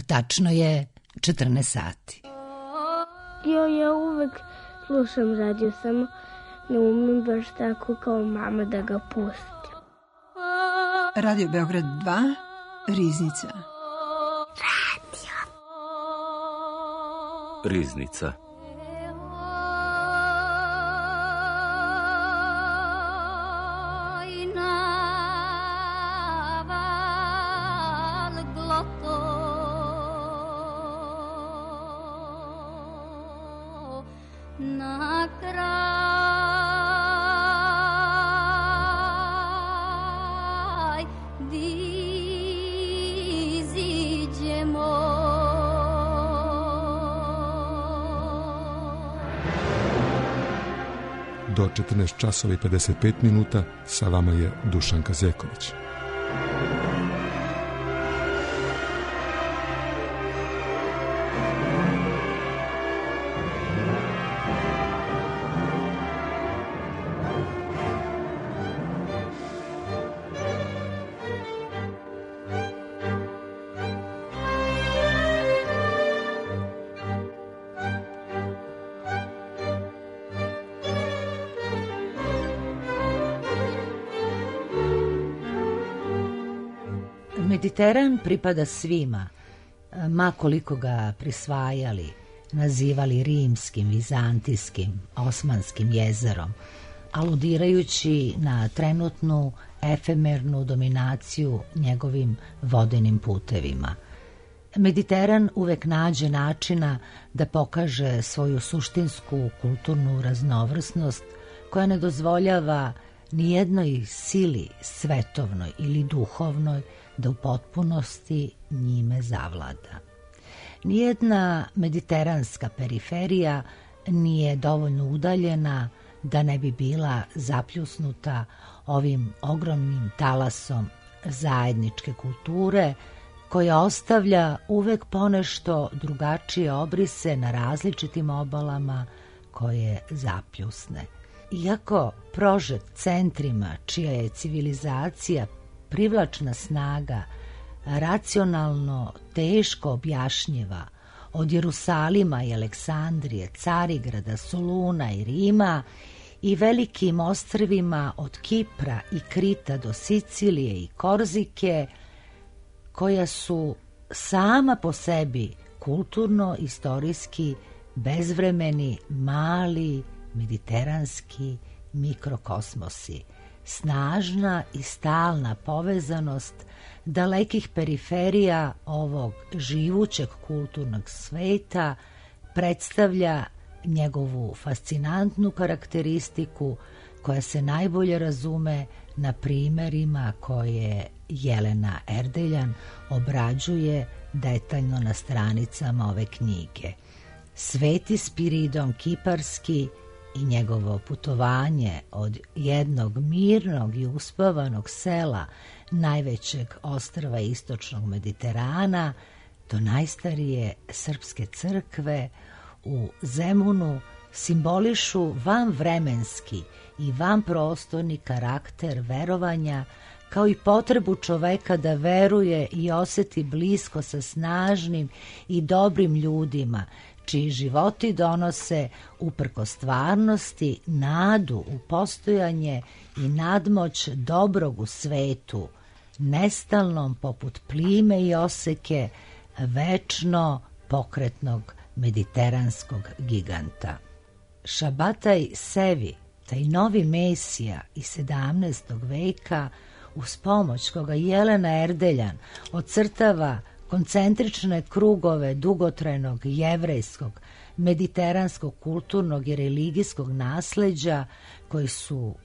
Tačno je 14 sati. Ja uvek slušam radio, samo ne umem baš tako kao mama da ga pustim. Radio Beograd 2, Riznica. Riznica. Do 14 časova i 55 minuta sa vama je Dušanka Zeković. Mediteran pripada svima, ma koliko ga prisvajali, nazivali rimskim, vizantijskim, osmanskim jezerom, aludirajući na trenutnu efemernu dominaciju njegovim vodenim putevima. Mediteran uvek nađe načina da pokaže svoju suštinsku kulturnu raznovrsnost koja ne dozvoljava nijednoj sili svetovnoj ili duhovnoj da u potpunosti njime zavlada. Nijedna mediteranska periferija nije dovoljno udaljena da ne bi bila zapljusnuta ovim ogromnim talasom zajedničke kulture koja ostavlja uvek ponešto drugačije obrise na različitim obalama koje zapljusne. Iako prožet centrima čija je civilizacija privlačna snaga racionalno teško objašnjiva od Jerusalima i Aleksandrije, Carigrada, Soluna i Rima i velikim ostrvima od Kipra i Krita do Sicilije i Korzike, koja su sama po sebi kulturno, istorijski, bezvremeni, mali, mediteranski mikrokosmosi, snažna i stalna povezanost dalekih periferija ovog živućeg kulturnog sveta predstavlja njegovu fascinantnu karakteristiku koja se najbolje razume na primerima koje Jelena Erdeljan obrađuje detaljno na stranicama ove knjige. Sveti Spiridon Kiparski i njegovo putovanje od jednog mirnog i uspavanog sela najvećeg ostrva istočnog Mediterana do najstarije srpske crkve u Zemunu simbolišu vanvremenski i vanprostorni karakter verovanja, kao i potrebu čoveka da veruje i oseti blisko sa snažnim i dobrim ljudima, čiji životi donose uprkos stvarnosti nadu u postojanje i nadmoć dobrog u svetu, nestalnom poput plime i oseke večno pokretnog mediteranskog giganta. Šabataj Sevi, taj novi mesija iz 17. veka, uz pomoć koga Jelena Erdeljan ocrtava koncentrične krugove dugotrajnog jevrejskog, mediteranskog, kulturnog i religijskog nasleđa koji su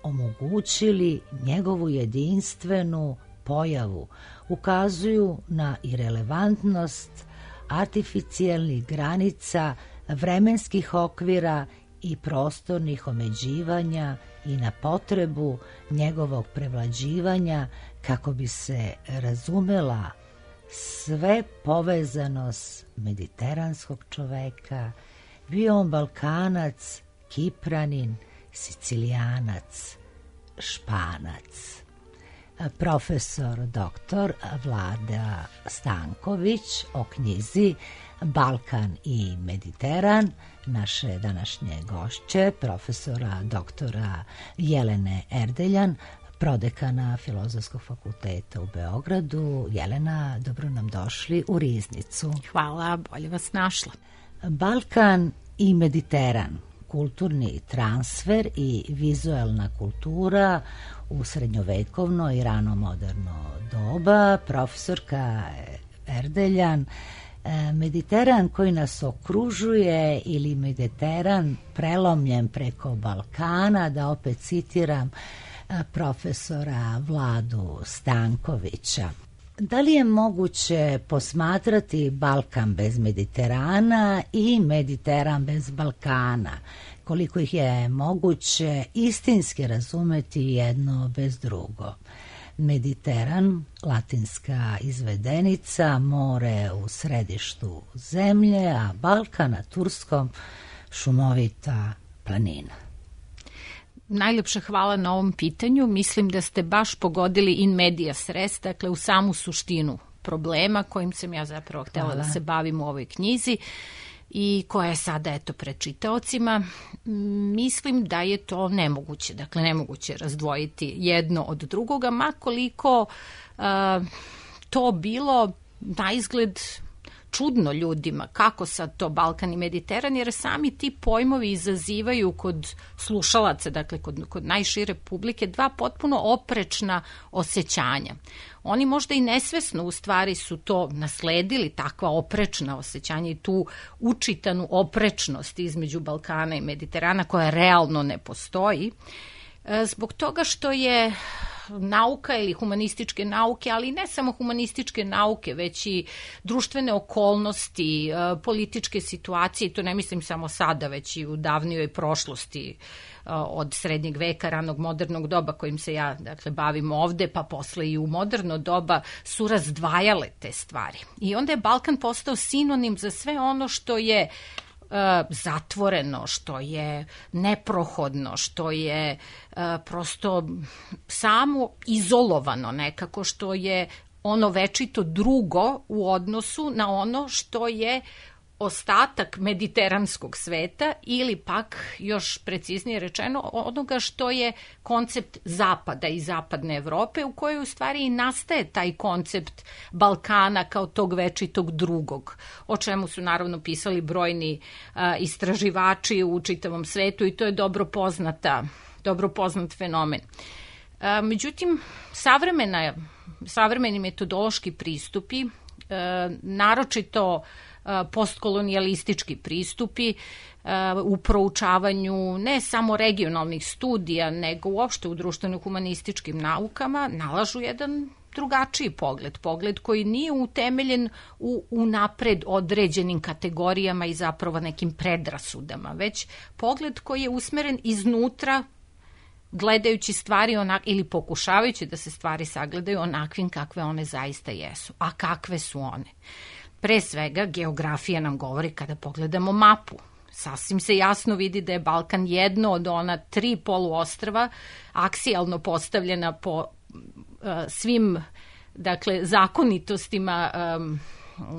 omogućili njegovu jedinstvenu pojavu, ukazuju na irelevantnost artificijelnih granica, vremenskih okvira i prostornih omeđivanja i na potrebu njegovog prevlađivanja kako bi se razumela sve povezanost mediteranskog čoveka, bio on Balkanac, Kipranin, Sicilijanac, Španac. profesor doktor Vlada Stanković o knjizi Balkan i Mediteran, naše današnje gošće, profesora doktora Jelene Erdeljan, prodekana Filozofskog fakulteta u Beogradu. Jelena, dobro nam došli u Riznicu. Hvala, bolje vas našla. Balkan i Mediteran, kulturni transfer i vizuelna kultura u srednjovekovno i rano moderno doba. Profesorka Erdeljan, Mediteran koji nas okružuje ili Mediteran prelomljen preko Balkana, da opet citiram profesora Vladu Stankovića. Da li je moguće posmatrati Balkan bez Mediterana i Mediteran bez Balkana? Koliko ih je moguće istinski razumeti jedno bez drugo? Mediteran, latinska izvedenica, more u središtu zemlje, a Balkan na turskom šumovita planina. Najljepša hvala na ovom pitanju. Mislim da ste baš pogodili in medias res, dakle u samu suštinu problema kojim sam ja zapravo htjela da se bavim u ovoj knjizi i koja je sada pred čitaocima. Mislim da je to nemoguće, dakle nemoguće razdvojiti jedno od drugoga, ma koliko to bilo na izgled čudno ljudima, kako sad to Balkan i Mediteran, jer sami ti pojmovi izazivaju kod slušalaca, dakle kod najšire publike, dva potpuno oprečna osjećanja. Oni možda i nesvesno u stvari su to nasledili, takva oprečna osjećanja i tu učitanu oprečnost između Balkana i Mediterana koja realno ne postoji, zbog toga što je nauka ili humanističke nauke, ali ne samo humanističke nauke, već i društvene okolnosti, političke situacije, to ne mislim samo sada, već i u davnijoj prošlosti od srednjeg veka, ranog modernog doba kojim se ja bavim ovde, pa posle i u moderno doba, su razdvajale te stvari. I onda je Balkan postao sinonim za sve ono što je zatvoreno, što je neprohodno, što je prosto samo izolovano nekako, što je ono večito drugo u odnosu na ono što je ostatak mediteranskog sveta ili pak, još preciznije rečeno, onoga što je koncept Zapada i Zapadne Evrope, u kojoj u stvari i nastaje taj koncept Balkana kao tog večitog drugog, o čemu su naravno pisali brojni istraživači u čitavom svetu i to je dobro poznat fenomen. Međutim, savremeni metodološki pristupi, naročito postkolonijalistički pristupi u proučavanju ne samo regionalnih studija, nego uopšte u društveno-humanističkim naukama nalažu jedan drugačiji pogled koji nije utemeljen u napred određenim kategorijama i zapravo nekim predrasudama, već pogled koji je usmeren iznutra, gledajući stvari ili pokušavajući da se stvari sagledaju onakvim kakve one zaista jesu. A kakve su one? Pre svega, geografija nam govori kada pogledamo mapu. Sasvim se jasno vidi da je Balkan jedno od ona 3 poluostrva, aksijalno postavljena po svim zakonitostima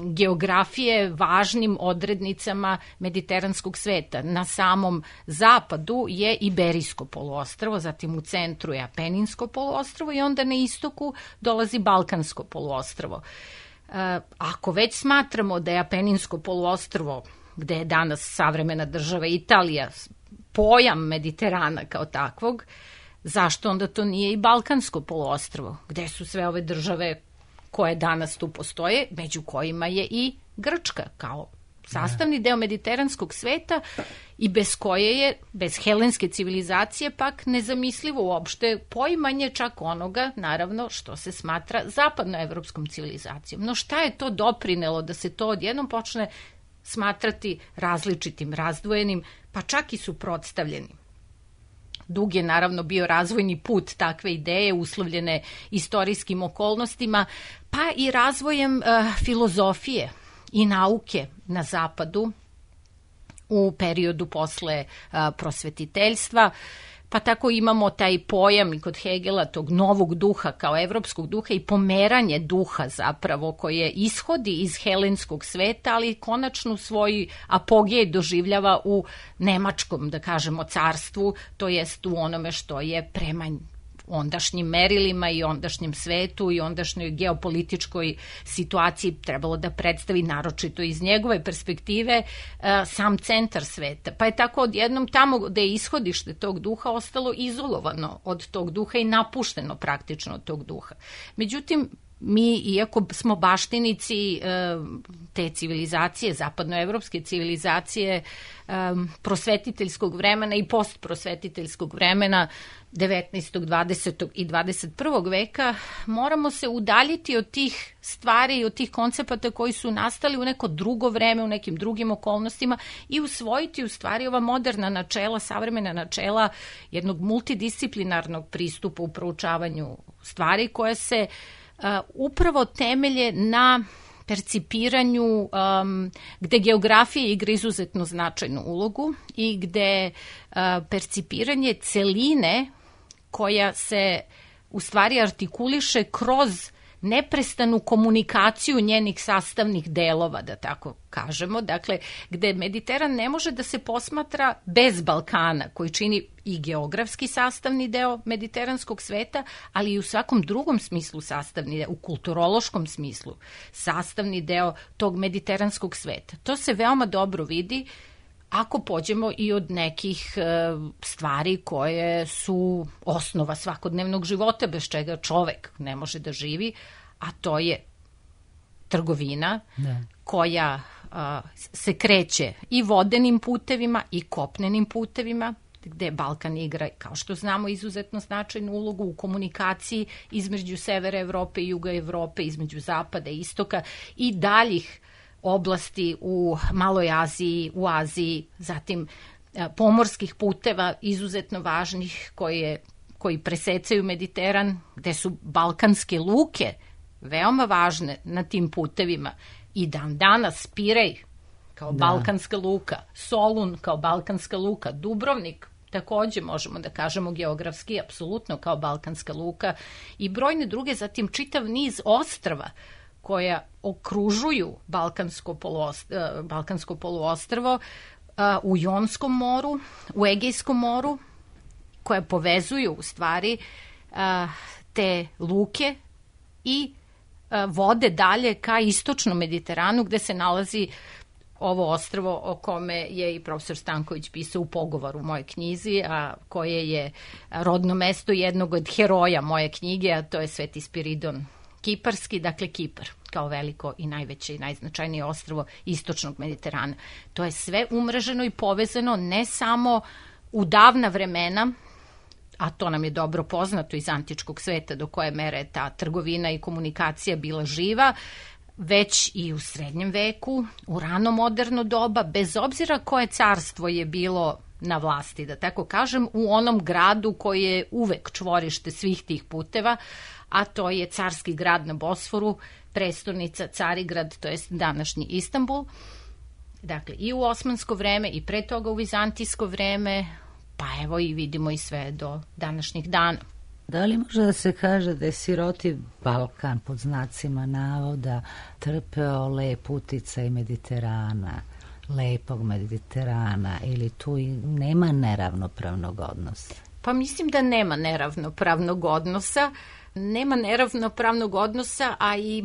geografije, važnim odrednicama mediteranskog sveta. Na samom zapadu je Iberijsko poluostrvo, zatim u centru je Apeninsko poluostrvo i onda na istoku dolazi Balkansko poluostrvo. Ako već smatramo da je Apeninsko poluostrvo, gde je danas savremena država Italija, pojam Mediterana kao takvog, zašto onda to nije i Balkansko poluostrvo, gde su sve ove države koje danas tu postoje, među kojima je i Grčka kao sastavni deo mediteranskog sveta i bez koje je, bez helenske civilizacije, pak nezamislivo uopšte poimanje čak onoga, naravno, što se smatra zapadnoevropskom civilizacijom. No šta je to doprinelo da se to odjednom počne smatrati različitim, razdvojenim, pa čak i suprotstavljenim? Dug je naravno bio razvojni put takve ideje, uslovljene istorijskim okolnostima, pa i razvojem filozofije i nauke na zapadu u periodu posle prosvetiteljstva, pa Pa tako imamo taj pojam i kod Hegela tog novog duha kao evropskog duha i pomeranje duha zapravo koje ishodi iz helenskog sveta, ali konačno svoj apogej doživljava u nemačkom, da kažemo, carstvu, to jest u onome što je prema ondašnjim merilima i ondašnjem svetu i ondašnjoj geopolitičkoj situaciji trebalo da predstavi, naročito iz njegove perspektive, sam centar sveta. Pa je tako odjednom tamo gde je ishodište tog duha ostalo izolovano od tog duha i napušteno praktično od tog duha. Međutim, mi, iako smo baštinici te civilizacije, zapadnoevropske civilizacije, prosvetiteljskog vremena i postprosvetiteljskog vremena 19., 20. i 21. veka, moramo se udaljiti od tih stvari i od tih koncepata koji su nastali u neko drugo vreme, u nekim drugim okolnostima i usvojiti u stvari ova moderna načela, savremena načela jednog multidisciplinarnog pristupa u proučavanju stvari koje se upravo temelje na percipiranju gde geografija igra izuzetno značajnu ulogu i gde percipiranje celine koja se u stvari artikuliše kroz neprestanu komunikaciju njenih sastavnih delova, da tako kažemo. Dakle, gde Mediteran ne može da se posmatra bez Balkana, koji čini i geografski sastavni deo mediteranskog sveta, ali i u svakom drugom smislu sastavni deo, u kulturološkom smislu sastavni deo tog mediteranskog sveta. To se veoma dobro vidi ako pođemo i od nekih stvari koje su osnova svakodnevnog života, bez čega čovek ne može da živi, a to je trgovina koja se kreće i vodenim putevima i kopnenim putevima, gde Balkan igra, kao što znamo, izuzetno značajnu ulogu u komunikaciji između severa Evrope i juga Evrope, između zapada i istoka i daljih oblasti u Maloj Aziji, u Aziji, zatim pomorskih puteva izuzetno važnih koji presecaju Mediteran, gde su balkanske luke veoma važne na tim putevima i dan danas Pirej kao balkanska luka, Solun kao balkanska luka, Dubrovnik takođe možemo da kažemo geografski apsolutno kao balkanska luka i brojne druge, zatim čitav niz ostrva koja okružuju Balkansko poluostrvo u Jonskom moru, u Egejskom moru, koje povezuju u stvari te luke i vode dalje ka istočnom Mediteranu, gde se nalazi ovo ostrvo o kome je i profesor Stanković pisao u pogovoru u mojoj knjizi, a koje je rodno mesto jednog od heroja moje knjige, a to je Sveti Spiridon Kiparski, dakle Kipar, kao veliko i najveće i najznačajnije ostrvo istočnog Mediterana. To je sve umreženo i povezano ne samo u davna vremena, a to nam je dobro poznato iz antičkog sveta do koje mere ta trgovina i komunikacija bila živa, već i u srednjem veku, u rano moderno doba, bez obzira koje carstvo je bilo na vlasti, da tako kažem, u onom gradu koji je uvek čvorište svih tih puteva, a to je carski grad na Bosforu, prestonica Carigrad, to jest današnji Istanbul. Dakle, i u osmansko vreme i pre toga u vizantijsko vreme, pa evo i vidimo i sve do današnjih dana. Da li može da se kaže da je siroti Balkan pod znacima navoda trpeo lep uticaj Mediterana, lepog Mediterana, ili tu i nema neravnopravnog odnosa? Pa mislim da nema neravnopravnog odnosa. Nema neravnopravnog odnosa, a i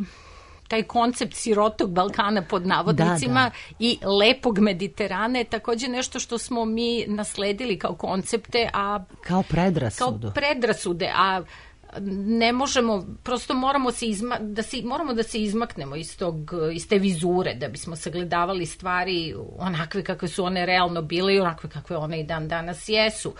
taj koncept sirotog Balkana pod navodnicima i lepog Mediterana je takođe nešto što smo mi nasledili kao koncepte, a kao predrasude, a ne možemo, prosto moramo da se izmaknemo iz te vizure da bismo sagledavali stvari onakve kakve su one realno bile i onakve kakve one i dan danas jesu.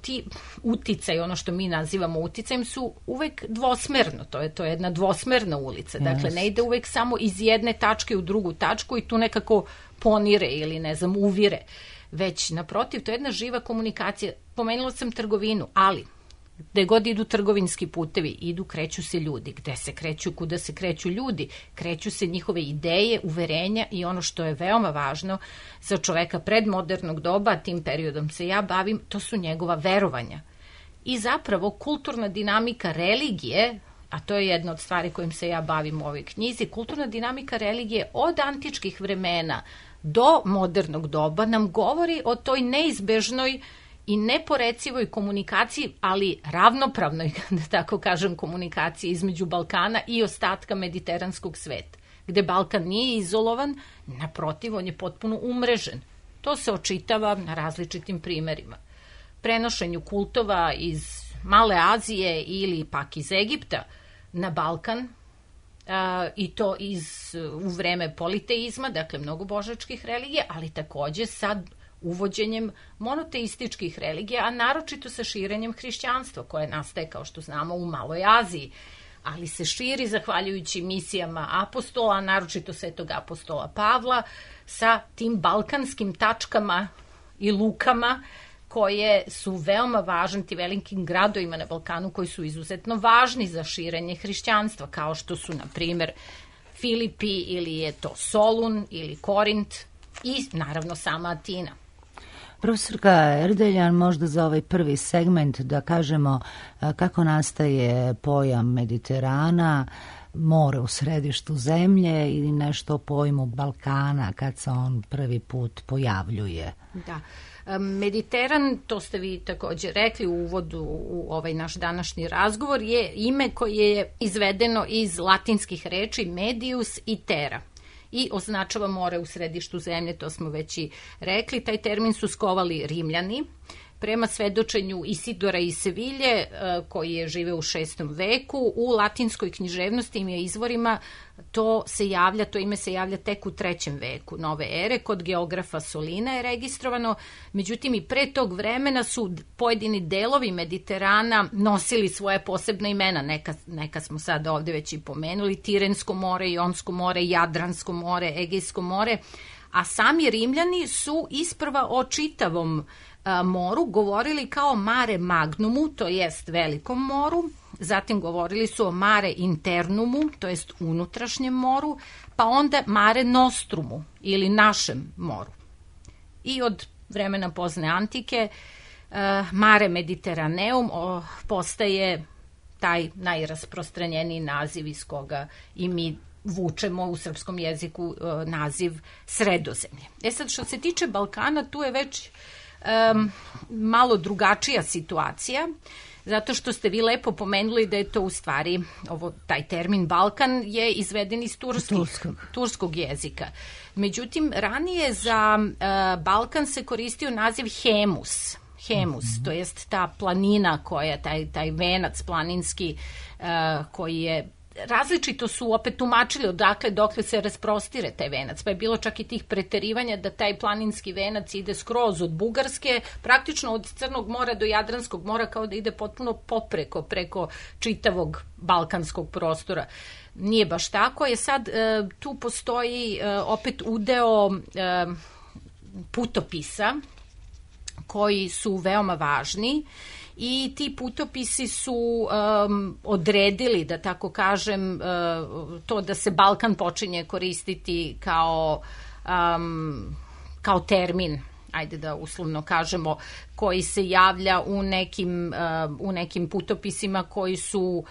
Ti uticaj, ono što mi nazivamo uticajem, su uvek dvosmerno, to je jedna dvosmerna ulica, dakle ne ide uvek samo iz jedne tačke u drugu tačku i tu nekako ponire ili ne znam uvire, već naprotiv, to je jedna živa komunikacija. Pomenula sam trgovinu, ali Gde god idu trgovinski putevi, kreću se ljudi. Gde se kreću, kuda se kreću ljudi? Kreću se njihove ideje, uverenja i ono što je veoma važno za čoveka predmodernog doba, tim periodom se ja bavim, to su njegova verovanja. I zapravo kulturna dinamika religije, a to je jedna od stvari kojim se ja bavim u ovoj knjizi, kulturna dinamika religije od antičkih vremena do modernog doba nam govori o toj neizbežnoj i neporecivoj komunikaciji, ali ravnopravnoj, da tako kažem, komunikaciji između Balkana i ostatka mediteranskog sveta, gde Balkan nije izolovan, naprotiv, on je potpuno umrežen. To se očitava na različitim primerima. Prenošenju kultova iz Male Azije ili pak iz Egipta na Balkan, i to u vreme politeizma, dakle mnogobožačkih religija, ali takođe sa uvođenjem monoteističkih religija, a naročito sa širenjem hrišćanstva, koje nastaje, kao što znamo, u Maloj Aziji, ali se širi zahvaljujući misijama apostola, naročito svetog apostola Pavla, sa tim balkanskim tačkama i lukama koje su veoma važni, ti velikim gradovima na Balkanu koji su izuzetno važni za širenje hrišćanstva, kao što su, na primer, Filipi ili je to Solun ili Korint i, naravno, sama Atina. Profesorka Erdeljan, možda za ovaj prvi segment da kažemo kako nastaje pojam Mediterana, more u središtu zemlje ili nešto o pojmu Balkana kad se on prvi put pojavljuje. Da. Mediteran, to ste vi takođe rekli u uvodu u ovaj naš današnji razgovor, je ime koje je izvedeno iz latinskih reči medius i terra i označava more u središtu zemlje, to smo već i rekli. Taj termin su skovali Rimljani. Prema svedočenju Isidora iz Sevilje, koji je živeo u 6. veku, u latinskoj književnosti i izvorima to ime se javlja tek u 3. veku nove ere, kod geografa Solina je registrovano, međutim i pre tog vremena su pojedini delovi Mediterana nosili svoje posebne imena, neka smo sad ovde već i pomenuli, Tirensko more, Jonsko more, Jadransko more, Egejsko more, a sami Rimljani su isprva o čitavom moru govorili kao mare magnumu, to jest velikom moru, zatim govorili su o mare internumu, to jest unutrašnjem moru, pa onda mare nostrumu ili našem moru. I od vremena pozne antike mare mediteraneum postaje taj najrasprostranjeniji naziv iz koga i mi vučemo u srpskom jeziku naziv Sredozemlje. Sad, što se tiče Balkana, tu je već malo drugačija situacija, zato što ste vi lepo pomenuli da je to u stvari, taj termin Balkan je izveden iz turskog jezika. Međutim, ranije za Balkan se koristio naziv Hemus, to jest ta planina koja, taj venac planinski koji je različito su opet tumačili odakle dokle se rasprostire taj venac, pa je bilo čak i tih preterivanja da taj planinski venac ide skroz od Bugarske, praktično od Crnog mora do Jadranskog mora, kao da ide potpuno preko čitavog balkanskog prostora. Nije baš tako, je sad tu postoji opet udeo putopisa koji su veoma važni i ti putopisi su odredili, da tako kažem, to da se Balkan počinje koristiti kao termin, ajde da uslovno kažemo, koji se javlja u nekim putopisima koji su,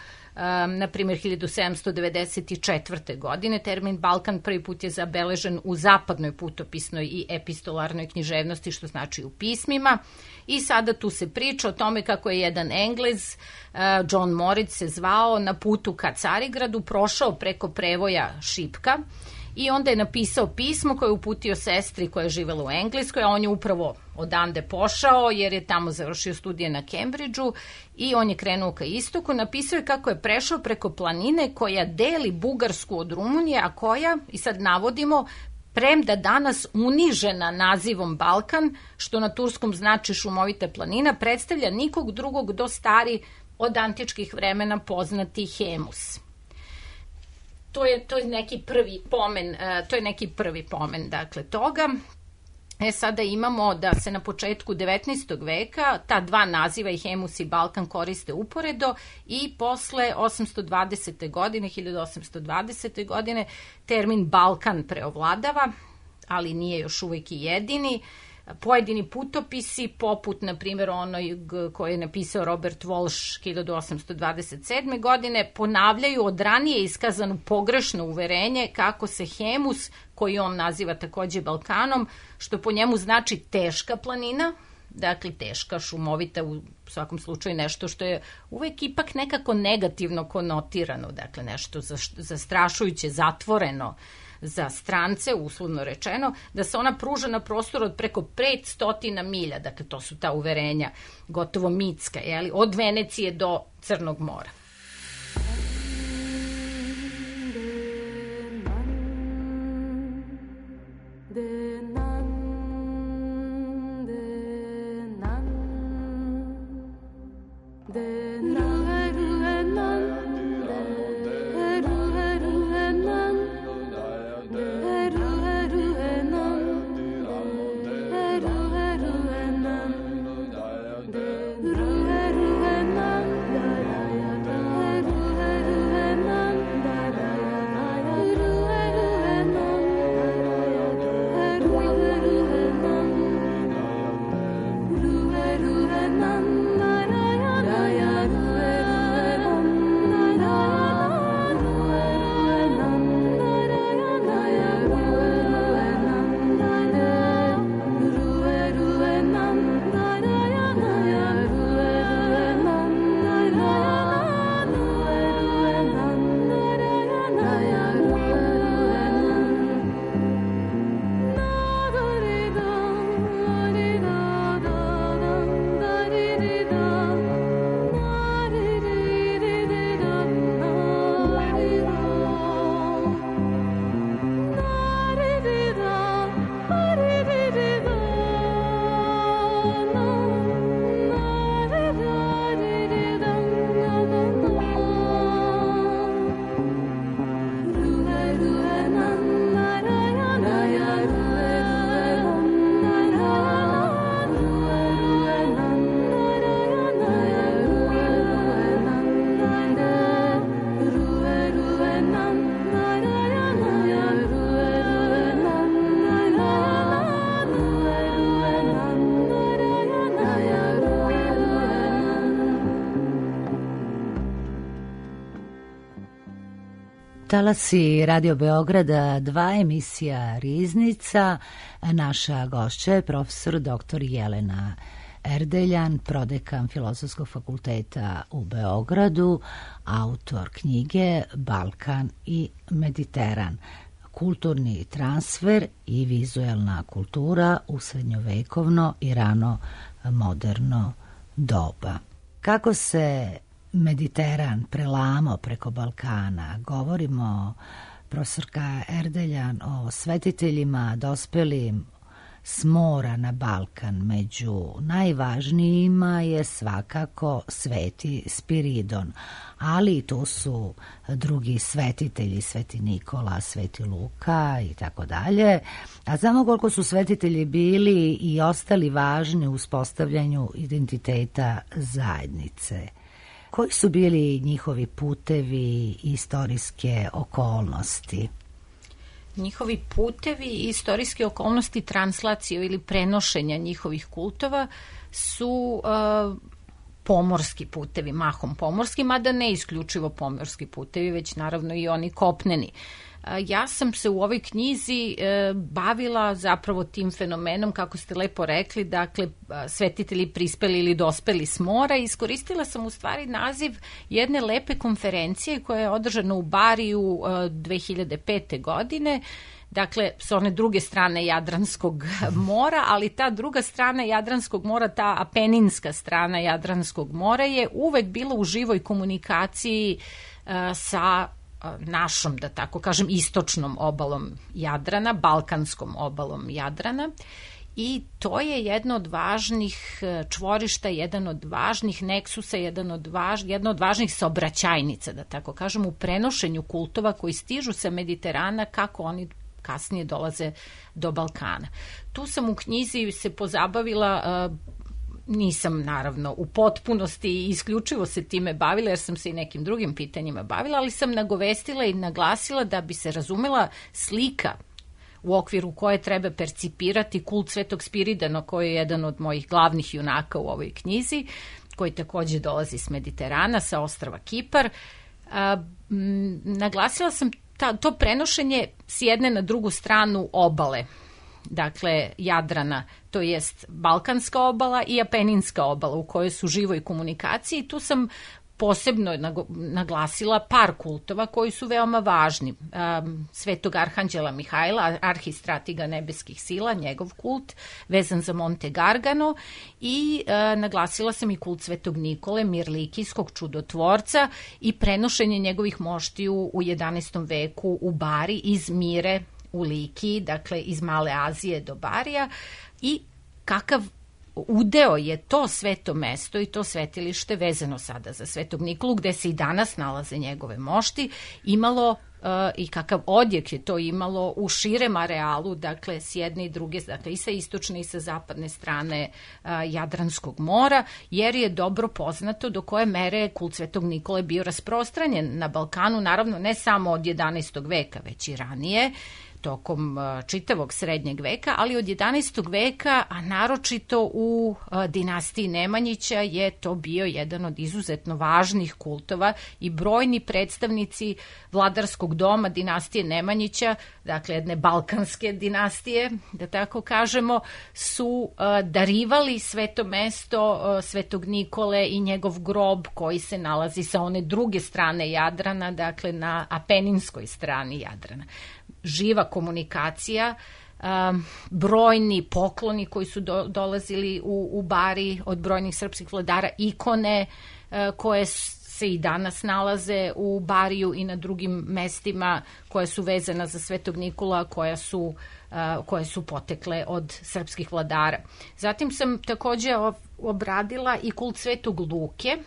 na primjer, 1794. godine. Termin Balkan prvi put je zabeležen u zapadnoj putopisnoj i epistolarnoj književnosti, što znači u pismima. I sada tu se priča o tome kako je jedan Englez, John Moritz se zvao, na putu ka Carigradu prošao preko prevoja Šipka i onda je napisao pismo koje je uputio sestri koja je živela u Engleskoj, a on je upravo odande pošao jer je tamo završio studije na Cambridgeu i on je krenuo ka istoku. Napisao je kako je prešao preko planine koja deli Bugarsku od Rumunije, a koja, i sad navodimo, premda danas unižena nazivom Balkan, što na turskom znači šumovita planina, predstavlja nikog drugog do stari od antičkih vremena poznati Hemus. To je neki prvi pomen, dakle, toga. Sada imamo da se na početku 19. veka ta dva naziva, i Hemus i Balkan, koriste uporedo i posle 1820. godine termin Balkan preovladava, ali nije još uvek i jedini. Pojedini putopisi, poput, na primjer, onoj koji je napisao Robert Walsh 1827. godine, ponavljaju od ranije iskazanu pogrešno uverenje kako se Hemus, koji on naziva takođe Balkanom, što po njemu znači teška planina, dakle teška, šumovita, u svakom slučaju nešto što je uvek ipak nekako negativno konotirano, dakle nešto zastrašujuće, zatvoreno za strance, uslovno rečeno, da se ona pruža na prostoru od preko 500 milja, dakle to su ta uverenja gotovo mitska, od Venecije do Crnog mora. Talasi Radio Beograda 2, emisija Riznica. Naša gošća je profesor dr. Jelena Erdeljan, prodekan Filozofskog fakulteta u Beogradu, autor knjige Balkan i Mediteran, kulturni transfer i vizuelna kultura u srednjovekovno i rano moderno doba. Kako se Mediteran prelamo preko Balkana? Govorimo, profesorka Erdeljan, o svetiteljima dospelim s mora na Balkan. Među najvažnijima je svakako Sveti Spiridon, ali tu su drugi svetitelji, Sveti Nikola, Sveti Luka i tako dalje. A znamo koliko su svetitelji bili i ostali važni u uspostavljanju identiteta zajednice. Koji su bili njihovi putevi i istorijske okolnosti? Njihovi putevi i istorijske okolnosti translacije ili prenošenja njihovih kultova su pomorski putevi, mahom pomorski, mada ne isključivo pomorski putevi, već naravno i oni kopneni. Ja sam se u ovoj knjizi bavila zapravo tim fenomenom, kako ste lepo rekli, dakle svetitelji prispeli ili dospeli s mora, i iskoristila sam u stvari naziv jedne lepe konferencije koja je održana u Bariju 2005. godine, dakle s one druge strane Jadranskog mora, ali ta druga strana Jadranskog mora, ta apeninska strana Jadranskog mora je uvek bila u živoj komunikaciji sa našom, da tako kažem, istočnom obalom Jadrana, balkanskom obalom Jadrana, i to je jedno od važnih čvorišta, jedan od važnih neksusa, jedna od važnih saobraćajnica, da tako kažem, u prenošenju kultova koji stižu sa Mediterana, kako oni kasnije dolaze do Balkana. Tu sam u knjizi se pozabavila, nisam naravno u potpunosti i isključivo se time bavila, jer sam se i nekim drugim pitanjima bavila, ali sam nagovestila i naglasila da bi se razumela slika u okviru koje treba percipirati kult Svetog Spiridona, koji je jedan od mojih glavnih junaka u ovoj knjizi, koji takođe dolazi s Mediterana, sa ostrva Kipar. Naglasila sam to prenošenje s jedne na drugu stranu obale, dakle Jadrana, to jest Balkanska obala i Apeninska obala, u kojoj su živoj komunikaciji. Tu sam posebno naglasila par kultova koji su veoma važni. Svetog arhanđela Mihajla, arhistratiga nebeskih sila, njegov kult, vezan za Monte Gargano, i naglasila sam i kult Svetog Nikole, mirlikijskog čudotvorca, i prenošenje njegovih moštiju u 11. veku u Bari iz Mire u Likiji, dakle iz Male Azije do Barija, i kakav udeo je to sveto mesto i to svetilište vezano sada za Svetog Nikolu, gde se i danas nalaze njegove mošti, imalo i kakav odjek je to imalo u širem arealu, dakle s jedne i druge, dakle i sa istočne i sa zapadne strane Jadranskog mora, jer je dobro poznato do koje mere kult Svetog Nikole bio rasprostranjen na Balkanu, naravno ne samo od 11. veka, već i ranije, tokom čitavog srednjeg veka, ali od 11. veka, a naročito u dinastiji Nemanjića, je to bio jedan od izuzetno važnih kultova i brojni predstavnici vladarskog doma dinastije Nemanjića, dakle jedne balkanske dinastije, da tako kažemo, su darivali sveto mesto Svetog Nikole i njegov grob koji se nalazi sa one druge strane Jadrana, dakle na Apeninskoj strani Jadrana. Živa komunikacija, brojni pokloni koji su dolazili u Bari od brojnih srpskih vladara, ikone koje se i danas nalaze u Bariju i na drugim mestima koje su vezana za Svetog Nikola, koje su potekle od srpskih vladara. Zatim sam takođe obradila i kult Svetog Luke,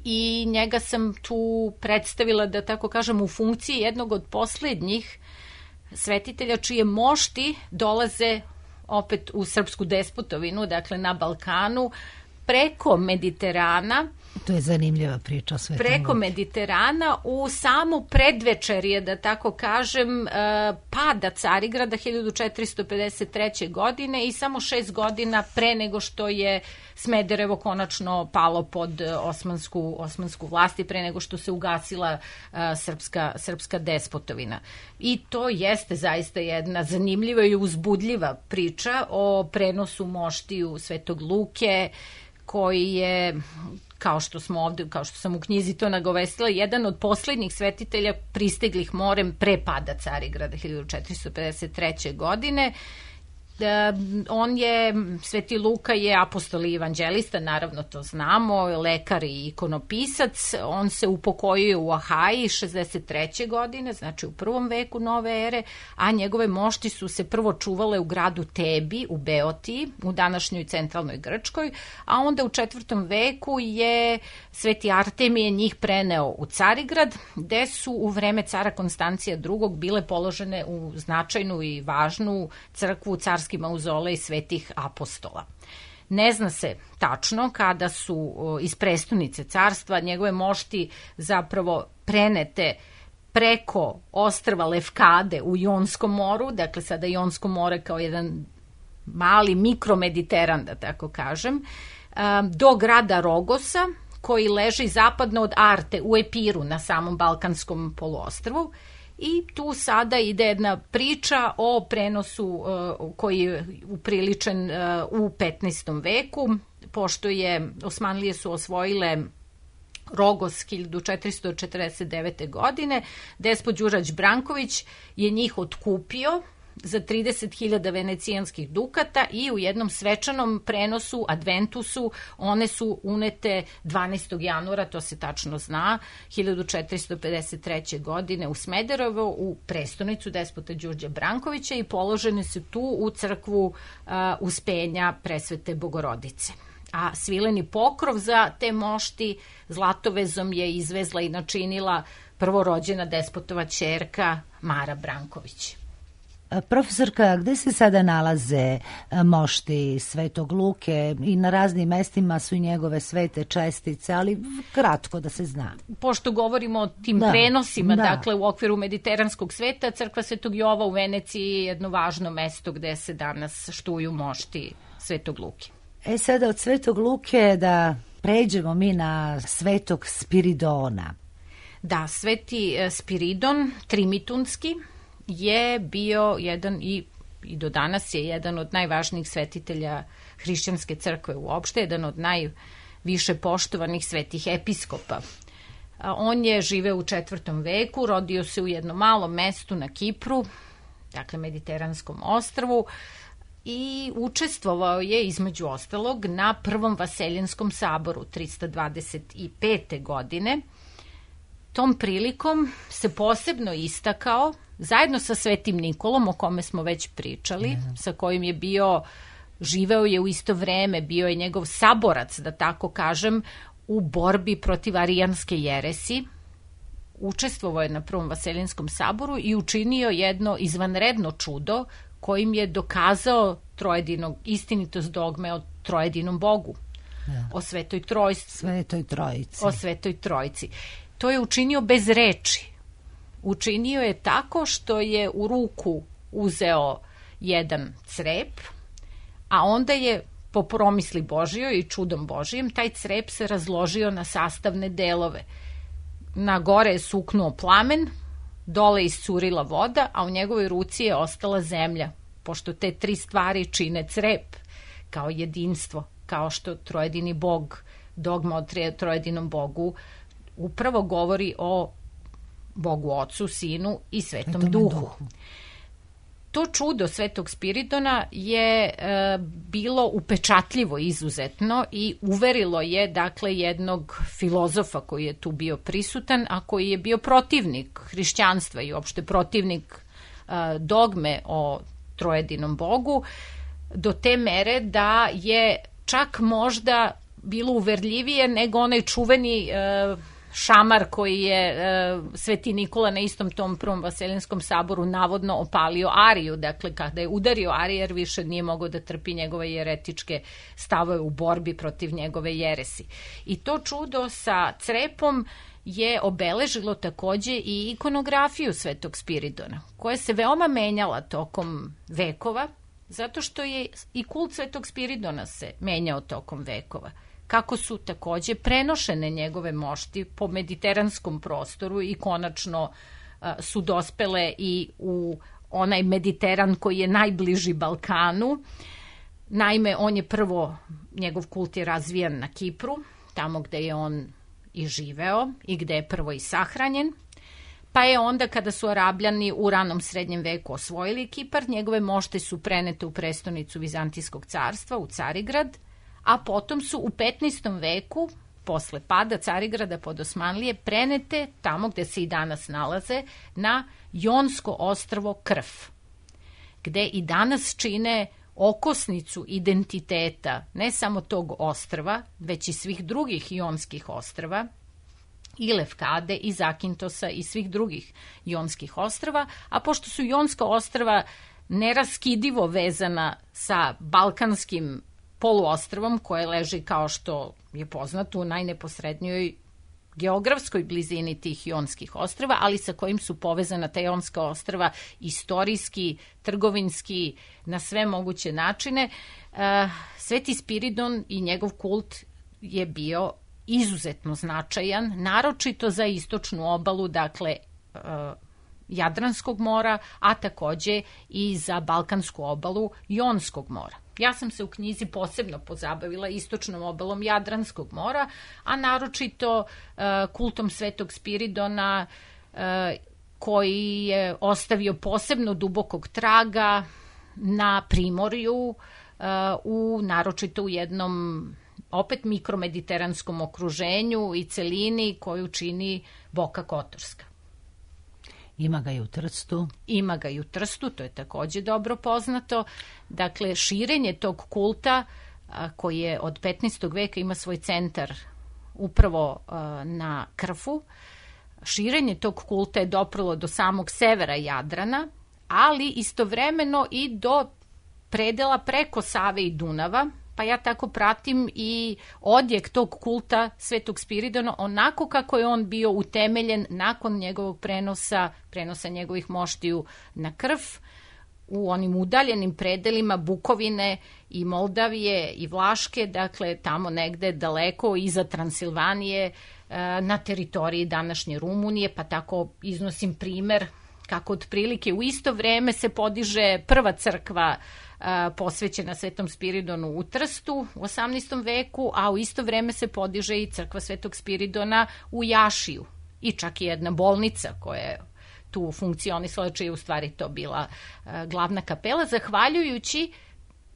i njega sam tu predstavila, da tako kažem, u funkciji jednog od poslednjih svetitelja čije mošti dolaze opet u srpsku despotovinu, dakle na Balkanu, preko Mediterana. To je zanimljiva priča o Svetom Luki. Preko Mediterana u samo predvečerje, da tako kažem, pada Carigrada 1453. godine i samo 6 godina pre nego što je Smederevo konačno palo pod osmansku vlast i pre nego što se ugasila srpska despotovina. I to jeste zaista jedna zanimljiva i uzbudljiva priča o prenosu moštiju Svetog Luke, koji je, kao što sam u knjizi to nagovestila, jedan od poslednjih svetitelja pristiglih morem pre pada Carigrada 1453. godine. Sveti Luka je apostol i evanđelista, naravno to znamo, lekar i ikonopisac. On se upokojio u Ahaji 63. godine, znači u 1. veku nove ere, a njegove mošti su se prvo čuvale u gradu Tebi, u Beotiji, u današnjoj centralnoj Grčkoj, a onda u 4. veku je Sveti Artemije njih preneo u Carigrad, gde su u vreme cara Konstancija II. Bile položene u značajnu i važnu crkvu carski mauzolej svetih apostola. Ne zna se tačno kada su iz prestonice carstva njegove mošti zapravo prenete preko ostrva Lefkade u Jonskom moru, dakle sada Jonsko more kao jedan mali mikromediteran, da tako kažem, do grada Rogosa, koji leži zapadno od Arte u Epiru na samom Balkanskom poluostrvu. I tu sada ide jedna priča o prenosu koji je upriličen u 15. veku, pošto Osmanlije su osvojile Rogos 1449. godine, despot Đurađ Branković je njih otkupio za 30.000 venecijanskih dukata i u jednom svečanom prenosu, adventusu, one su unete 12. januara, to se tačno zna, 1453. godine u Smederevo, u prestonicu despota Đurđa Brankovića, i položene su tu u crkvu Uspenja Presvete Bogorodice. A svileni pokrov za te mošti zlatovezom je izvezla i načinila prvorođena despotova ćerka Mara Branković. Profesorka, gde se sada nalaze mošti Svetog Luke i na raznim mestima su i njegove svete čestice, ali kratko da se zna. Pošto govorimo o tim prenosima, dakle u okviru mediteranskog sveta, crkva Svetog Jova u Veneciji je jedno važno mesto gde se danas štuju mošti Svetog Luke. Sada od Svetog Luke da pređemo mi na Svetog Spiridona. Da, Sveti Spiridon Trimitunski je bio jedan i do danas je jedan od najvažnijih svetitelja hrišćanske crkve uopšte, jedan od najviše poštovanih svetih episkopa. On je živeo u 4. veku, rodio se u jednom malom mestu na Kipru, dakle Mediteranskom ostrvu, i učestvovao je između ostalog na Prvom Vaseljenskom saboru 325. godine. Tom prilikom se posebno istakao zajedno sa Svetim Nikolom, o kome smo već pričali, sa kojim je živeo je u isto vreme, bio je njegov saborac, da tako kažem, u borbi protiv arijanske jeresi. Učestvovao je na Prvom Vaseljenskom saboru i učinio jedno izvanredno čudo kojim je dokazao istinitost dogme o trojedinom Bogu, o Svetoj Trojici. O Svetoj Trojici. To je učinio bez reči. Učinio je tako što je u ruku uzeo jedan crep, a onda je po promisli Božijoj i čudom Božijem taj crep se razložio na sastavne delove. Na gore je suknuo plamen, dole iscurila voda, a u njegovoj ruci je ostala zemlja, pošto te 3 stvari čine crep kao jedinstvo, kao što trojedini Bog, dogma o trojedinom Bogu, upravo govori o Bogu Ocu, Sinu i Svetom Duhu. To čudo Svetog Spiridona je bilo upečatljivo izuzetno i uverilo je dakle jednog filozofa koji je tu bio prisutan, a koji je bio protivnik hrišćanstva i uopšte protivnik dogme o trojedinom Bogu, do te mere da je čak možda bilo uverljivije nego onaj čuveni šamar koji je Sveti Nikola na istom tom Prvom Vaseljenskom saboru navodno opalio Ariju, dakle kada je udario Arijer više nije mogao da trpi njegove jeretičke stavove u borbi protiv njegove jeresi. I to čudo sa crepom je obeležilo takođe i ikonografiju Svetog Spiridona, koja se veoma menjala tokom vekova, zato što je i kult Svetog Spiridona se menjao tokom vekova. Kako su takođe prenošene njegove mošti po mediteranskom prostoru i konačno su dospele i u onaj Mediteran koji je najbliži Balkanu. Naime, njegov kult je razvijan na Kipru, tamo gde je on i živeo i gde je prvo i sahranjen. Pa je onda kada su Arabljani u ranom srednjem veku osvojili Kipar, njegove mošte su prenete u prestonicu Vizantijskog carstva, u Carigrad, a potom su u 15. veku, posle pada Carigrada pod Osmanlije, prenete tamo gde se i danas nalaze, na Jonsko ostrvo Krf, gde i danas čine okosnicu identiteta ne samo tog ostrva, već i svih drugih jonskih ostrva, i Lefkade, i Zakintosa, i svih drugih jonskih ostrva, a pošto su jonska ostrva neraskidivo vezana sa balkanskim poluostrvom koje leži, kao što je poznato, u najneposrednijoj geografskoj blizini tih jonskih ostrva, ali sa kojim su povezana ta jonska ostrva istorijski, trgovinski, na sve moguće načine. Sveti Spiridon i njegov kult je bio izuzetno značajan, naročito za istočnu obalu, dakle Jadranskog mora, a takođe i za balkansku obalu Jonskog mora. Ja sam se u knjizi posebno pozabavila istočnom obalom Jadranskog mora, a naročito kultom Svetog Spiridona, koji je ostavio posebno dubokog traga na primorju, naročito u jednom opet mikromediteranskom okruženju i celini koju čini Boka Kotorska. Ima ga i u Trstu. Ima ga i u Trstu, to je takođe dobro poznato. Dakle, širenje tog kulta koji je od 15. veka ima svoj centar upravo na Krfu. Širenje tog kulta je doprlo do samog severa Jadrana, ali istovremeno i do predela preko Save i Dunava, pa ja tako pratim i odjek tog kulta Svetog Spiridona onako kako je on bio utemeljen nakon njegovog prenosa njegovih moštiju na Krf, u onim udaljenim predelima Bukovine i Moldavije i Vlaške, dakle tamo negde daleko iza Transilvanije, na teritoriji današnje Rumunije, pa tako iznosim primer kako otprilike u isto vreme se podiže prva crkva posvećena Svetom Spiridonu u Trstu u 18. veku, a u isto vreme se podiže i crkva Svetog Spiridona u Jašiju i čak i jedna bolnica koja je tu funkcionisala, čija je u stvari to bila glavna kapela, zahvaljujući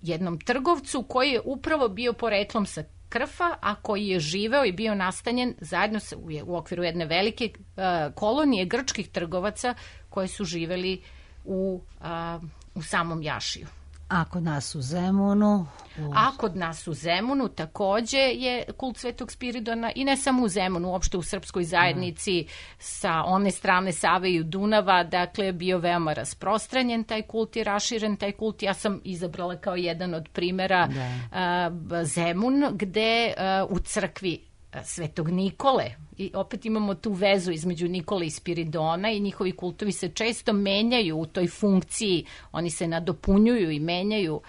jednom trgovcu koji je upravo bio poreklom sa Krfa, a koji je živeo i bio nastanjen zajedno u okviru jedne velike kolonije grčkih trgovaca koji su živeli u samom Jašiju. A kod nas u Zemunu? A kod nas u Zemunu takođe je kult Svetog Spiridona i ne samo u Zemunu, uopšte u srpskoj zajednici sa one strane Save i Dunava, dakle bio veoma rasprostranjen taj kult i raširen taj kult. Ja sam izabrala kao jedan od primera Zemun, gde u crkvi Svetog Nikole, i opet imamo tu vezu između Nikole i Spiridona i njihovi kultovi se često menjaju u toj funkciji, oni se nadopunjuju i menjaju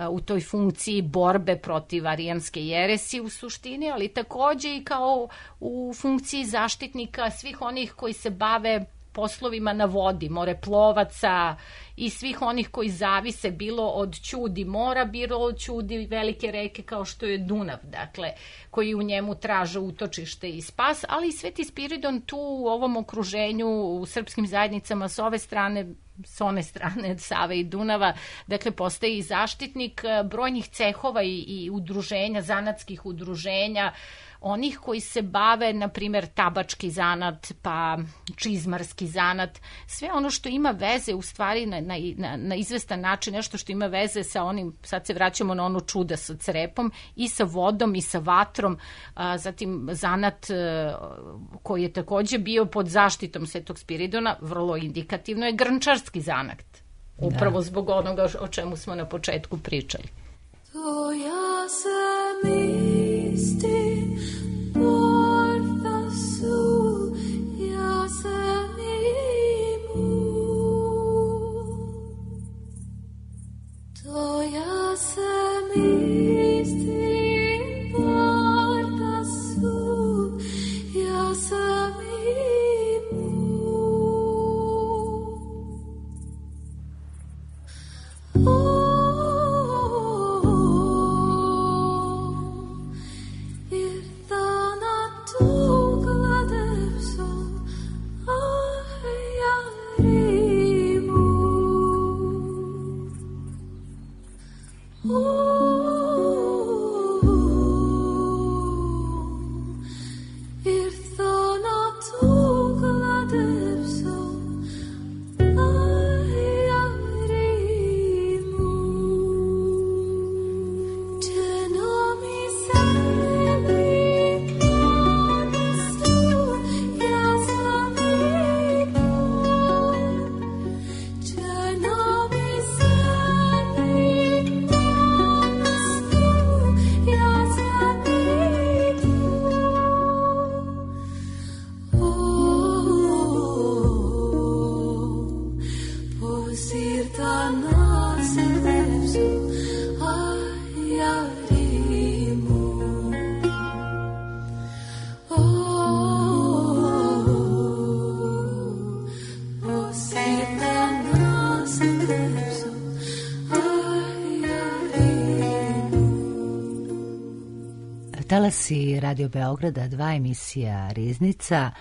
u toj funkciji borbe protiv arijanske jeresije u suštini, ali takođe i kao u funkciji zaštitnika svih onih koji se bave poslovima na vodi, moreplovaca i svih onih koji zavise bilo od ćudi mora, bilo od ćudi velike reke kao što je Dunav, dakle, koji u njemu traže utočište i spas, ali i Sveti Spiridon tu u ovom okruženju u srpskim zajednicama s one strane Save i Dunava, dakle, postaje i zaštitnik brojnih cehova i udruženja, zanatskih udruženja, onih koji se bave, na primjer, tabački zanat, pa čizmarski zanat, sve ono što ima veze u stvari na izvestan način, nešto što ima veze sa onim, sad se vraćamo na ono čuda sa crepom, i sa vodom i sa vatrom, zatim zanat koji je takođe bio pod zaštitom Svetog Spiridona, vrlo indikativno je grnčarski zanat, upravo zbog onoga o čemu smo na početku pričali. To ja sam isti, porta su, ja sam imu. To ja sam isti, porta su, ja sam imu. Talasi Radio Beograda, 2 emisija Riznica,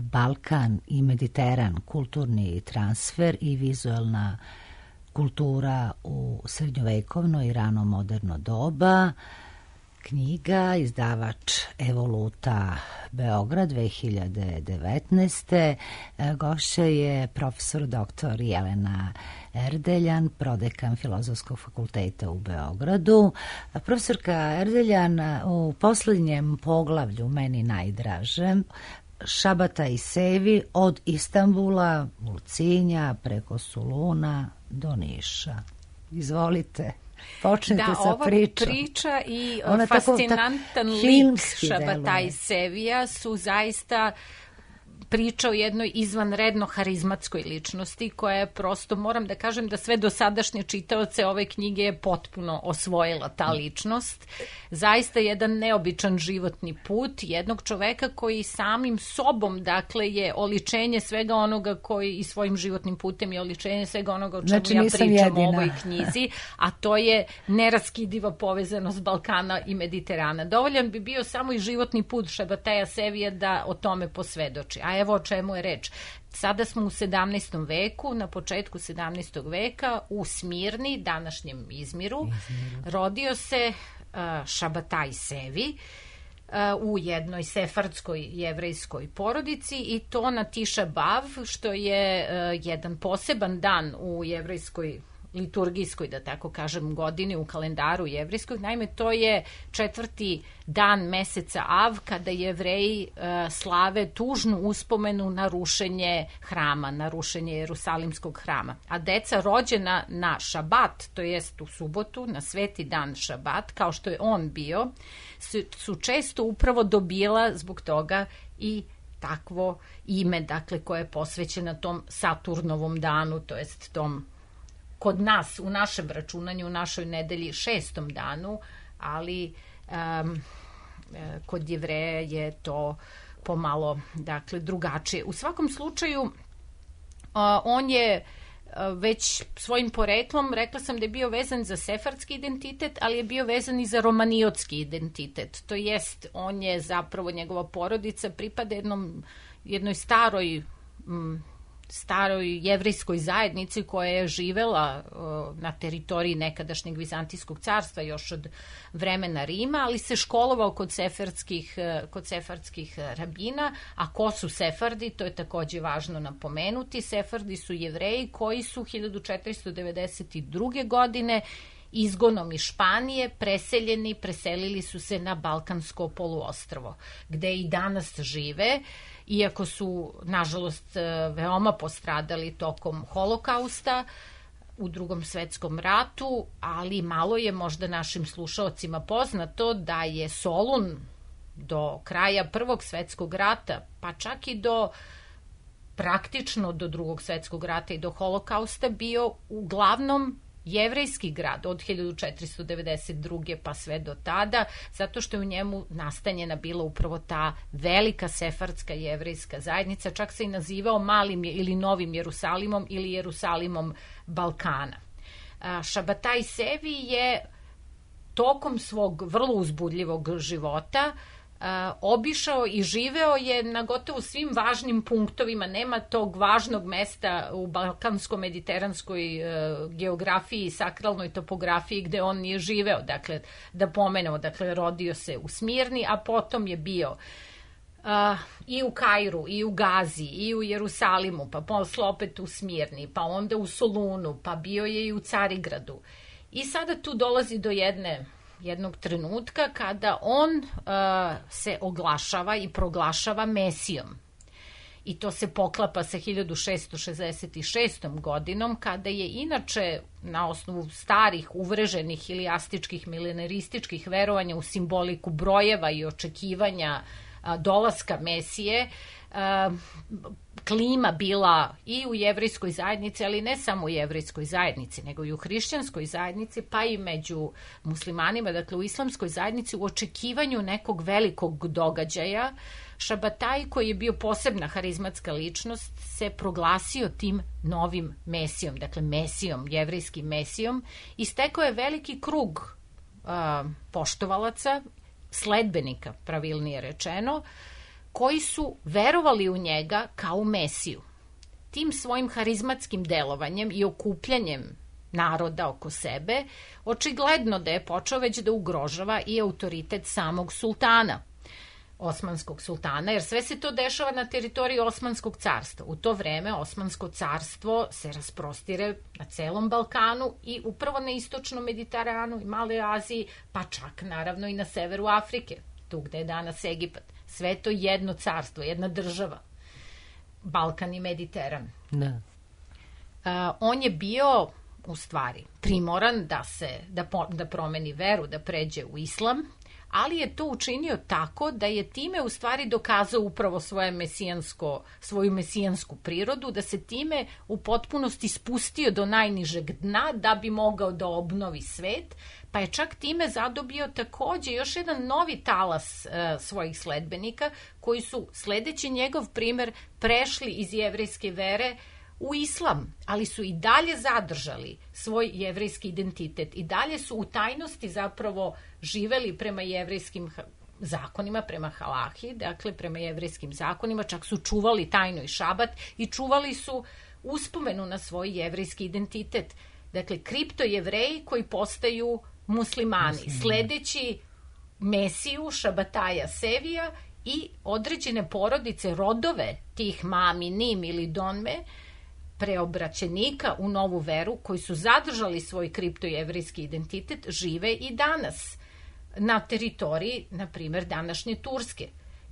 Balkan i Mediteran, kulturni transfer i vizualna kultura u srednjovekovno i rano moderno doba. knjiga, izdavač Evoluta Beograd 2019. Gošća je profesor dr. Jelena Erdeljan, prodekan Filozofskog fakulteta u Beogradu. Profesorka Erdeljan, u poslednjem poglavlju, meni najdražem, Šabata i Sevi, od Istanbula, Ulcinja, preko Soluna do Niša. Izvolite. Počnite sa pričom. Da, ova priča i fascinantan lik Šabata i Sevija su zaista priča o jednoj izvanredno harizmatskoj ličnosti koja je prosto, moram da kažem da sve dosadašnje čitaoce ove knjige je potpuno osvojila ta ličnost. Zaista jedan neobičan životni put jednog čoveka koji samim sobom, dakle, je oličenje svega onoga koji i svojim životnim putem je oličenje svega onoga o čemu ja pričam u ovoj knjizi, a to je neraskidiva povezanost Balkana i Mediterana. Dovoljan bi bio samo i životni put Šabataja Sevija da o tome posvedoči. A evo o čemu je reč. Sada smo u 17. veku, na početku 17. veka u Smirni, današnjem Izmiru, rodio se Šabataj Sevi u jednoj sefardskoj jevrejskoj porodici i to na Tiša Bav, što je jedan poseban dan u jevrejskoj liturgijskoj, da tako kažem, godini u kalendaru jevrejskog. Naime, to je 4. dan meseca Av, kada Jevreji slave tužnu uspomenu na rušenje hrama, na rušenje Jerusalimskog hrama. A deca rođena na Šabat, to jest u subotu, na sveti dan Šabat, kao što je on bio, su često upravo dobila zbog toga i takvo ime, dakle, koje je posvećeno tom Saturnovom danu, to jest tom kod nas, u našem računanju, u našoj nedelji 6. danu, ali kod Jevreja je to pomalo, dakle, drugačije. U svakom slučaju, on je već svojim poreklom, rekla sam da je bio vezan za sefardski identitet, ali je bio vezan i za romaniotski identitet. To jest, on je zapravo, njegova porodica pripada jednoj staroj jevrejskoj zajednici koja je živela na teritoriji nekadašnjeg Vizantijskog carstva još od vremena Rima, ali se školovao kod sefardskih rabina. A ko su Sefardi? To je takođe važno napomenuti. Sefardi su Jevreji koji su 1492. godine izgonom iz Španije preselili su se na Balkansko poluostrvo, gde i danas žive, iako su, nažalost, veoma postradali tokom Holokausta u Drugom svetskom ratu, ali malo je možda našim slušaocima poznato da je Solun do kraja Prvog svetskog rata, pa čak i praktično do Drugog svetskog rata i do Holokausta bio uglavnom jevrejski grad od 1492. pa sve do tada, zato što je u njemu nastanjena bila upravo ta velika sefardska jevrejska zajednica, čak se i nazivao Malim ili Novim Jerusalimom ili Jerusalimom Balkana. Šabataj Sevi je tokom svog vrlo uzbudljivog života obišao i živeo je na gotovo svim važnim punktovima. Nema tog važnog mesta u balkansko-mediteranskoj geografiji i sakralnoj topografiji gde on nije živeo. Dakle, da pomenemo, rodio se u Smirni, a potom je bio i u Kairu, i u Gazi, i u Jerusalimu, pa posle opet u Smirni, pa onda u Solunu, pa bio je i u Carigradu. I sada tu dolazi do jednog trenutka kada on se oglašava i proglašava Mesijom. I to se poklapa sa 1666. godinom, kada je inače na osnovu starih, uvreženih ili astičkih, milenarističkih verovanja u simboliku brojeva i očekivanja dolaska Mesije, klima bila i u jevrejskoj zajednici, ali ne samo u jevrejskoj zajednici, nego i u hrišćanskoj zajednici, pa i među muslimanima, dakle u islamskoj zajednici, u očekivanju nekog velikog događaja. Šabataj, koji je bio posebna harizmatska ličnost, se proglasio tim novim Mesijom, dakle Mesijom, jevrejskim Mesijom, i stekao je veliki krug poštovalaca, sledbenika, pravilnije rečeno, koji su verovali u njega kao u Mesiju. Tim svojim harizmatskim delovanjem i okupljanjem naroda oko sebe, očigledno da je počeo već da ugrožava i autoritet samog sultana, Osmanskog sultana, jer sve se to dešava na teritoriji Osmanskog carstva. U to vreme Osmansko carstvo se rasprostire na celom Balkanu i upravo na istočnom Mediteranu i Maloj Aziji, pa čak naravno i na severu Afrike, tu gde je danas Egipat. Sve je to jedno carstvo, jedna država. Balkan i Mediteran. Da. On je bio u stvari primoran da promeni veru, da pređe u islam, ali je to učinio tako da je time u stvari dokazao upravo svoju mesijansku prirodu, da se time u potpunosti spustio do najnižeg dna da bi mogao da obnovi svet, pa je čak time zadobio takođe još jedan novi talas svojih sledbenika koji su, sledeći njegov primer, prešli iz jevrejske vere u islam, ali su i dalje zadržali svoj jevrejski identitet i dalje su u tajnosti zapravo živeli prema jevrejskim zakonima, prema halahi, dakle prema jevrejskim zakonima, čak su čuvali tajno i šabat i čuvali su uspomenu na svoj jevrejski identitet. Dakle, kriptojevreji koji postaju muslimani, sledeći Mesiju, Šabataja Sevija i određene porodice, rodove tih Mami, Nim ili Donme, preobraćenika u novu veru, koji su zadržali svoj kriptojevrijski identitet, žive i danas na teritoriji, na primjer, današnje Turske.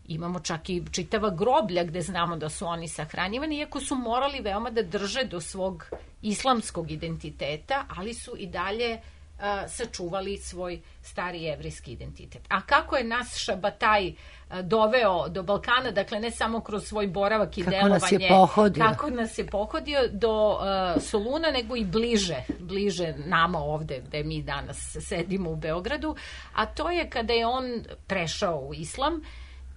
Imamo čak i čitava groblja gde znamo da su oni sahranjivani, iako su morali veoma da drže do svog islamskog identiteta, ali su i dalje sačuvali svoj stari jevrijski identitet. A kako je nas Šabataj doveo do Balkana, dakle ne samo kroz svoj boravak i delovanje, kako nas je pohodio do Soluna, nego i bliže nama ovde gde mi danas sedimo u Beogradu, a to je kada je on prešao u islam,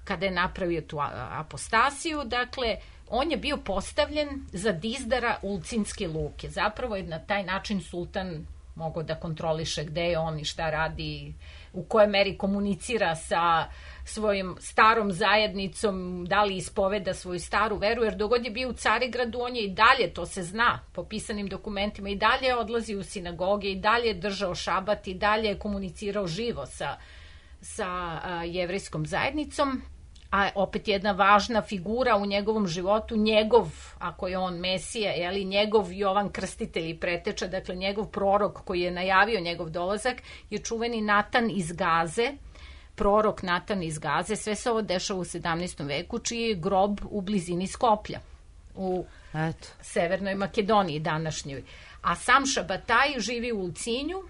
kada je napravio tu apostasiju, dakle on je bio postavljen za dizdara Ulcinske luke. Zapravo je na taj način sultan mogao da kontroliše gde je on i šta radi, u kojoj meri komunicira sa svojim starom zajednicom, da li ispoveda svoju staru veru, jer dogod je bio u Carigradu, on je i dalje, to se zna po pisanim dokumentima, i dalje odlazi u sinagoge, i dalje je držao šabat, i dalje je komunicirao živo sa jevrejskom zajednicom. A opet jedna važna figura u njegovom životu, njegov, ako je on Mesija, njegov Jovan Krstitelj i preteča, dakle njegov prorok koji je najavio njegov dolazak, je čuveni Natan iz Gaze, prorok Natan iz Gaze. Sve se ovo dešava u 17. veku, čiji je grob u blizini Skoplja, u Severnoj Makedoniji današnjoj. A sam Šabataj živi u Ulcinju.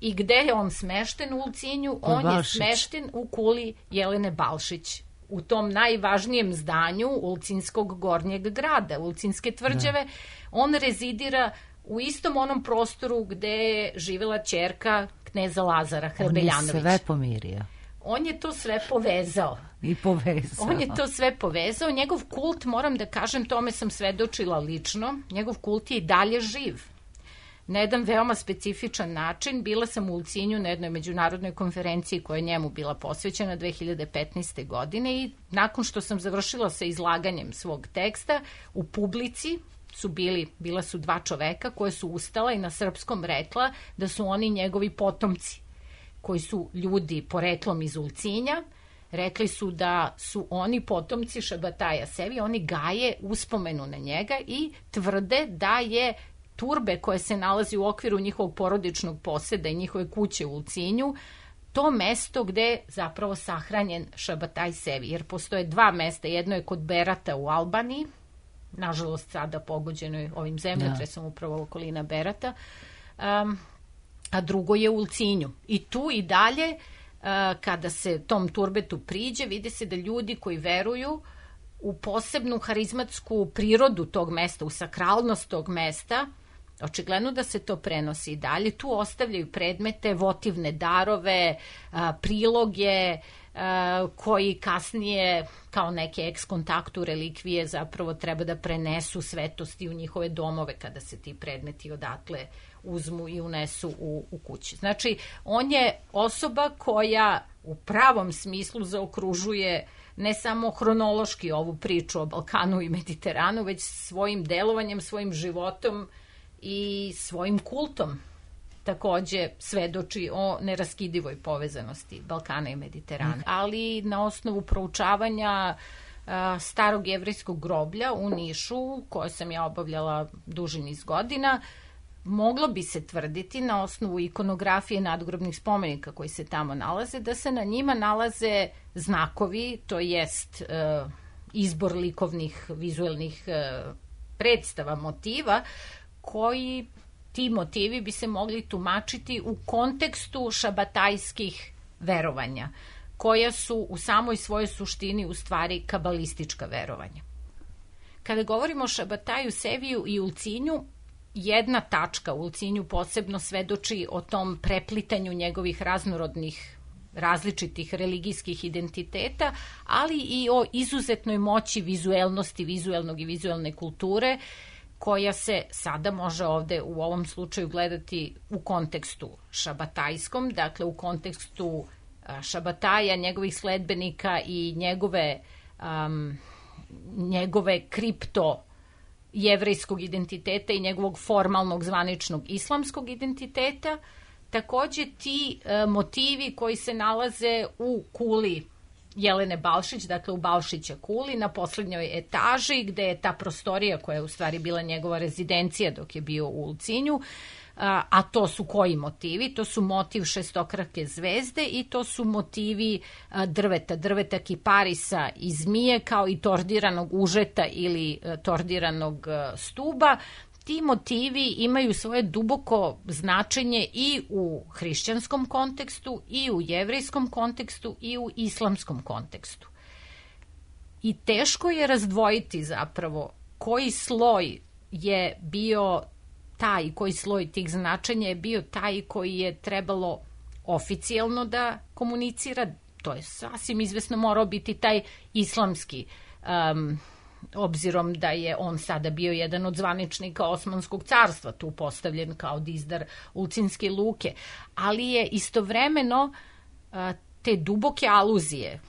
I gde je on smešten u Ulcinju? On je smešten u kuli Jelene Balšić, u tom najvažnijem zdanju Ulcinskog gornjeg grada, Ulcinske tvrđave. On rezidira u istom onom prostoru gde je živela ćerka kneza Lazara Hrebeljanovića. On je sve pomirio. On je to sve povezao. I povezao. On je to sve povezao. Njegov kult, moram da kažem, tome sam svedočila lično, njegov kult je i dalje živ. Na jedan veoma specifičan način. Bila sam u Ulcinju na jednoj međunarodnoj konferenciji koja je njemu bila posvećena 2015. godine i nakon što sam završila sa izlaganjem svog teksta, u publici bila su dva čoveka koje su ustala i na srpskom rekla da su oni njegovi potomci, koji su ljudi poreklom iz Ulcinja. Rekli su da su oni potomci Šabataja Sevija, oni gaje uspomenu na njega i tvrde da je Turbe koje se nalazi u okviru njihovog porodičnog poseda i njihove kuće u Ulcinju to mesto gde je zapravo sahranjen Šabataj Sevi, jer postoje dva mesta, jedno je kod Berata u Albaniji, nažalost sada pogođeno ovim zemljotresom upravo okolina Berata, a drugo je u Ulcinju. I tu i dalje, kada se tom turbetu priđe, vidi se da ljudi koji veruju u posebnu harizmatsku prirodu tog mesta, u sakralnost tog mesta, očigledno da se to prenosi i dalje. Tu ostavljaju predmete, votivne darove, priloge, koji kasnije kao neke ex-kontaktu relikvije zapravo treba da prenesu svetosti u njihove domove kada se ti predmeti odatle uzmu i unesu u kući. Znači, on je osoba koja u pravom smislu zaokružuje ne samo hronološki ovu priču o Balkanu i Mediteranu, već svojim delovanjem, svojim životom i svojim kultom takođe svedoči o neraskidivoj povezanosti Balkana i Mediterana. Ali na osnovu proučavanja starog jevrejskog groblja u Nišu, koje sam ja obavljala duži niz godina, moglo bi se tvrditi na osnovu ikonografije nadgrobnih spomenika koji se tamo nalaze, da se na njima nalaze znakovi, to jest izbor likovnih, vizuelnih predstava, motiva, koji ti motivi bi se mogli tumačiti u kontekstu šabatajskih verovanja, koja su u samoj svojoj suštini u stvari kabalistička verovanja. Kada govorimo o Šabataju, Seviju i Ulcinju, jedna tačka u Ulcinju posebno svedoči o tom preplitanju njegovih raznorodnih, različitih religijskih identiteta, ali i o izuzetnoj moći vizuelnosti, vizuelnog i vizuelne kulture, koja se sada može ovde u ovom slučaju gledati u kontekstu šabatajskom, dakle u kontekstu Šabataja, njegovih sledbenika i njegove kripto jevrejskog identiteta i njegovog formalnog zvaničnog islamskog identiteta. Takođe ti motivi koji se nalaze u kuli Jelene Balšić, dakle u Balšića kuli, na poslednjoj etaži, gde je ta prostorija koja je u stvari bila njegova rezidencija dok je bio u Ulcinju. A to su koji motivi? To su motiv šestokrake zvezde i to su motivi drveta kiparisa i zmije, kao i tordiranog užeta ili tordiranog stuba. Ti motivi imaju svoje duboko značenje i u hrišćanskom kontekstu, i u jevrejskom kontekstu, i u islamskom kontekstu. I teško je razdvojiti zapravo koji sloj je bio taj, koji sloj tih značenja je bio taj koji je trebalo oficijalno da komunicira. To je sasvim izvesno morao biti taj islamski, obzirom da je on sada bio jedan od zvaničnika Osmanskog carstva, tu postavljen kao dizdar Ulcinske luke. Ali je istovremeno te duboke aluzije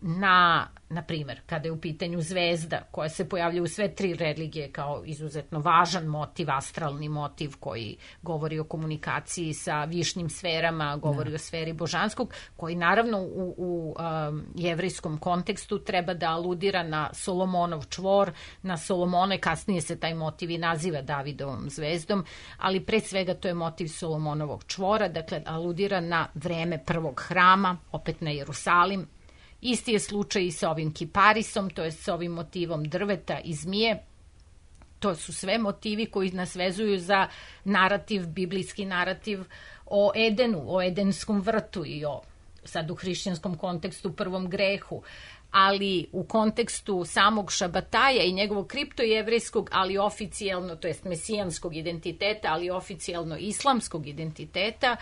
na primer, kada je u pitanju zvezda, koja se pojavlja u sve tri religije kao izuzetno važan motiv, astralni motiv koji govori o komunikaciji sa višnim sferama, govori o sferi božanskog, koji naravno u jevrejskom kontekstu treba da aludira na Solomonov čvor, na Solomone, kasnije se taj motiv i naziva Davidovom zvezdom, ali pre svega to je motiv Solomonovog čvora, dakle aludira na vreme prvog hrama, opet na Jerusalim. Isti je slučaj i sa ovim kiparisom, to je sa ovim motivom drveta i zmije. To su sve motivi koji nas vezuju za narativ, biblijski narativ o Edenu, o Edenskom vrtu i o, sad u hrišćanskom kontekstu, prvom grehu. Ali u kontekstu samog Šabataja i njegovog kriptojevrejskog, ali oficijalno, to jest mesijanskog identiteta, ali oficijalno islamskog identiteta,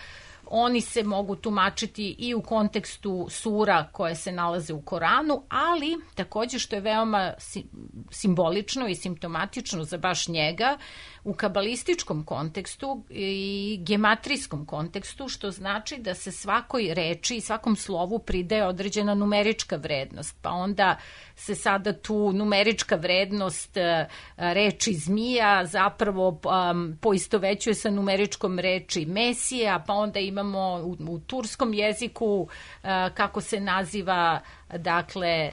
oni se mogu tumačiti i u kontekstu sura koje se nalaze u Koranu, ali takođe što je veoma simbolično i simptomatično za baš njega, u kabalističkom kontekstu i gematrijskom kontekstu, što znači da se svakoj reči i svakom slovu pridaje određena numerička vrednost, pa onda se sada tu numerička vrednost reči zmija zapravo poistovećuje sa numeričkom reči Mesija, pa onda imamo u turskom jeziku kako se naziva, dakle,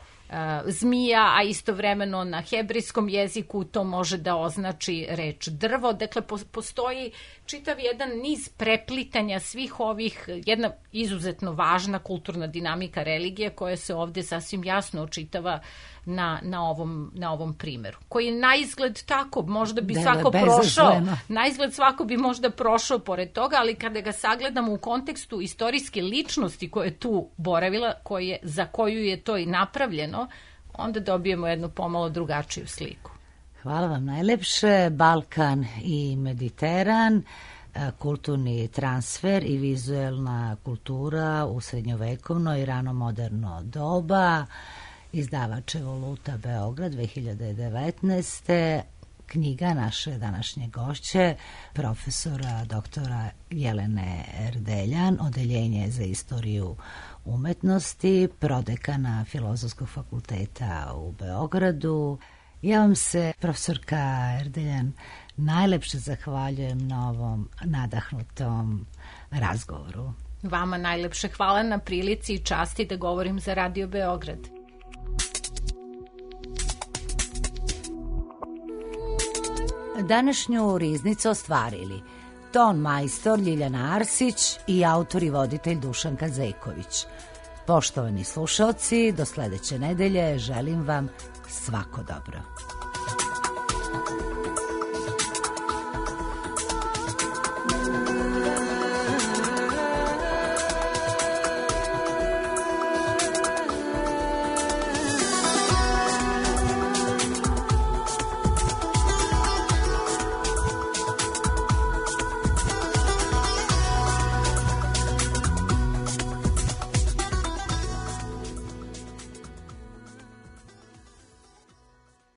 zmija, a istovremeno na hebrejskom jeziku to može da označi reč drvo. Dakle, postoji čitav jedan niz preplitanja svih ovih, jedna izuzetno važna kulturna dinamika religije koja se ovde sasvim jasno očitava na ovom primeru. Koji je na izgled tako, možda bi svako prošao, na izgled svako bi možda prošao pored toga, ali kada ga sagledamo u kontekstu istorijske ličnosti koja je tu boravila, za koju je to i napravljeno, onda dobijemo jednu pomalo drugačiju sliku. Hvala vam najlepše. Balkan i Mediteran, kulturni transfer i vizuelna kultura u srednjovekovno i rano moderno doba. Izdavač Evoluta Beograd 2019. Knjiga naše današnje gošće, profesora doktora Jelene Erdeljan, Odeljenje za istoriju umetnosti, prodekana Filozofskog fakulteta u Beogradu. Ja vam se, profesorka Erdeljan, najlepše zahvaljujem na ovom nadahnutom razgovoru. Vama najlepše hvala na prilici i časti da govorim za Radio Beograd. Današnju riznicu ostvarili ton majstor Ljiljana Arsić i autor i voditelj Dušanka Zejković. Poštovani slušalci, do sledeće nedelje želim vam svako dobro.